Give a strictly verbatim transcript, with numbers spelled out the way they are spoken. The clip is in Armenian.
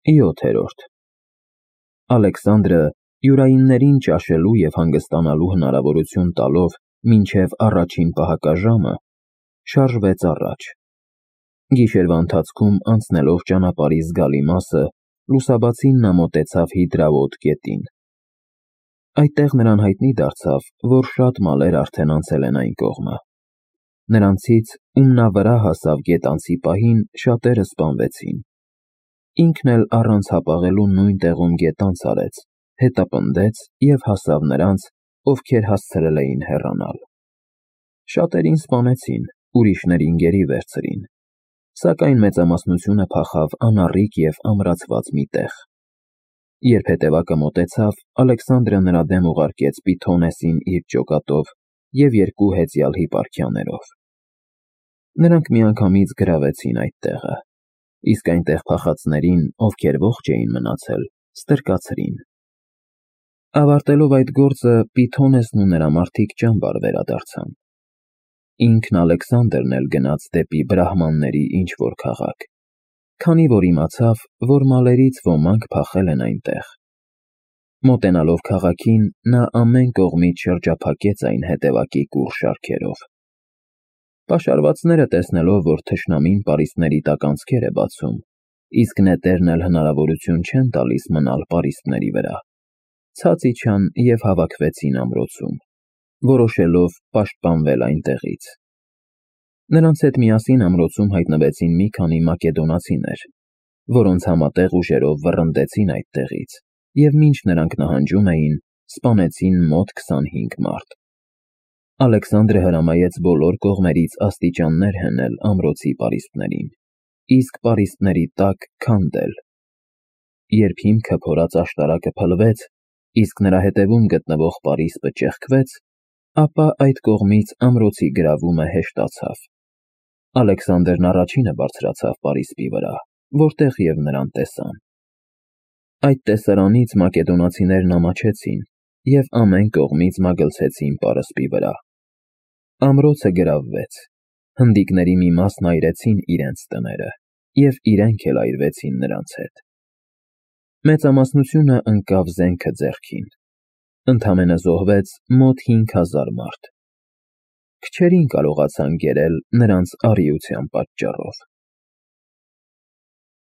յոթերորդ Ալեքսանդրը յուրայիններին ճաշելու և հանգստանալու հնարավորություն տալով մինչև առաջին պահակաժամը, շարժվեց առաջ. գիշերվա ընթացքում անցնելով ճանապարհի զգալի մասը, լուսաբացին նա մոտեցավ Հիդրավոտ գետին. այդտեղ նրան հայտնի դարձավ, որ շատ մալեր արդեն անցել են այն կողմը. նրանցից, ում նա վրա հասավ գետանցի պահին, շատերը սպանվեցին. ինքն էլ առանց հապաղելու նույն տեղում գետանց արեց, հետապնդեց և հասավ նրանց, ովքեր հասցրել էին հեռանալ. շատերին սպանեցին, ուրիշներին գերի վերցրին, սակայն մեծամասնությունը փախավ անառիկ և ամրացված մի տեղ. երբ հետևակը մոտեցավ, Ալեքսանդրը նրա դեմ ուղարկեց Պիթհոնեսին իր ջոկատով և երկու հեծյալ հիպարքիաներով. նրանք միանգամից գրավեցին այդ տեղը, իսկ այնտեղ փախածներին, ովքեր ողջ էին մնացել, ստրկացրին. ավարտելով այդ գործը, Պիթհոնեսն ու նրա մարդիկ ճամբար վերադարձան. ինքն Ալեքսանդրն էլ գնաց դեպի բրահմանների ինչ-որ քաղաք, քանի որ իմացավ, որ մալերից ոմանք փախել են այնտեղ. մոտենալով քաղաքին, նա ամեն կողմից շրջափակեց այն հետևակի կուռ շարքերով. պաշարվածները տեսնելով, որ թշնամին պարիսպների տակ անցքեր է բացում, իսկ նետերն էլ հնարավորություն չեն տալիս մնալ պարիսպների վրա, ցած իջան և հավաքվեցին ամրոցում, որոշելով պաշտպանվել այնտեղից. նրանց հետ միասին ամրոցում հայտնվեցին մի քանի մակեդոնացիներ, որոնց համատեղ ուժերով վռնդեցին այդտեղից և մինչ նրանք նահանջում էին, սպանեցին մոտ քսանհինգ մարդ. Ալեքսանդրը հրամայեց բոլոր կողմերից աստիճաններ հենել ամրոցի պարիսպներին, իսկ պարիսպների տակ քանդել. երբ հիմքը փորած աշտարակը փլվեց, իսկ նրա հետևում գտնվող պարիսպը ճեղքվեց, ապա այդ կողմից ամրոցի գրավումը հեշտացավ. Ալեքսանդրն առաջինը բարձրացավ պարիսպի վրա, որտեղ և նրան տեսան. այդ տեսարանից մակեդոնացիներն ամաչեցին և ամեն կողմից մագլցեցին պարսպի վրա. ամրոցը գրավվեց, հնդիկների մի մասն այրեցին իրենց տները և իրենք էլ այրվեցին նրանց հետ. մեծամասնությունը ընկավ զենքը ձեռքին, ընդամենը զոհվեց մոտ հինգ հազար մարդ. քչերին կարողացան կերել նրանց առիության պատճառով։